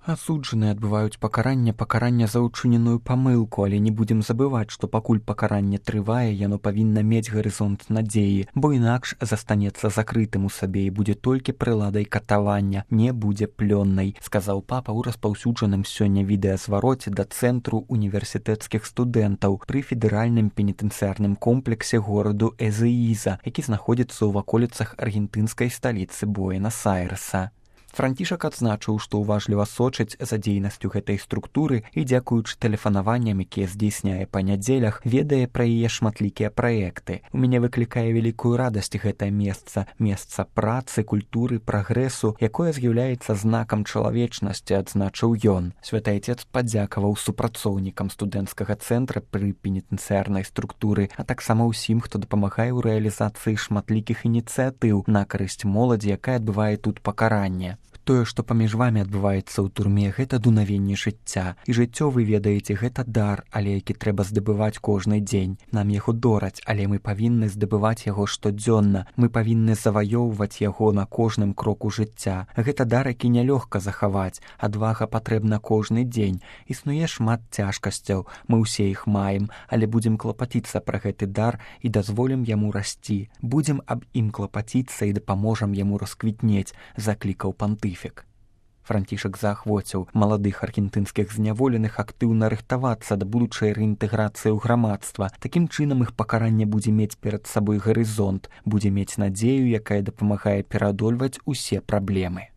Асуджаныя адбываюць пакаранне за ўчыненую памылку, але не будзем забываць, што пакуль пакаранне трывае, яно павінна мець гарызонт надзеі, бо інакш застанецца закрытым у сабе і будзе толькі прыладай катавання, не будзе плённай, сказаў папа ў распаўсюджаным сёння відэазвароце да цэнтру універсітэцкіх студэнтаў пры федэральным пенітэнцыярным комплексе гораду Эзеіза, які знаходзіцца ў ваколіцах аргентынскай сталіцы Буэнас-Айрэса. Францішак адзначыў, што ўважліва сочыць за дзейнасцю гэтай структуры і, дзякуючы тэлефанаванням, якія здзейсняе па нядзелях, ведае пра яе шматлікія праекты. У мяне выклікае вялікую радасць гэтае месца працы, культуры, прагрэсу, якое з'яўляецца знакам чалавечнасці, адзначыў ён. Святы Айцец падзякаваў супрацоўнікам студэнцкага цэнтра пры пенітэнцыярнай структуры, а таксама ўсім, хто дапамагае ў рэалізацыі шматлікіх ініцыятыў на карысць моладзі, якая адбывае тут пакаранне. Тое, што паміж вамі адбываецца ў турме, гэта дунавенне жыцця. І жыццё, вы ведаеце, гэта дар, але які трэба здабываць кожны дзень. Нам яго дораць, але мы павінны здабываць яго штодзённа. Мы павінны заваёўваць яго на кожным кроку жыцця. Гэта дар, які нялёгка захаваць. Адвага патрэбна кожны дзень. Існуе шмат цяжкасцяў. Мы ўсе іх маем, але будзем клапаціцца пра гэты дар і дазволім яму расці. Будзем аб ім клапаціцца і дапаможам яму расквітнець, заклікаў пантыфік. Францішак заахвоціў маладых аргентынскіх зняволеных актыўна рыхтавацца да будучай рэінтэграцыі ў грамадства. Такім чынам іх пакаранне будзе мець перад сабой гарызонт, будзе мець надзею, якая дапамагае пераадольваць усе праблемы.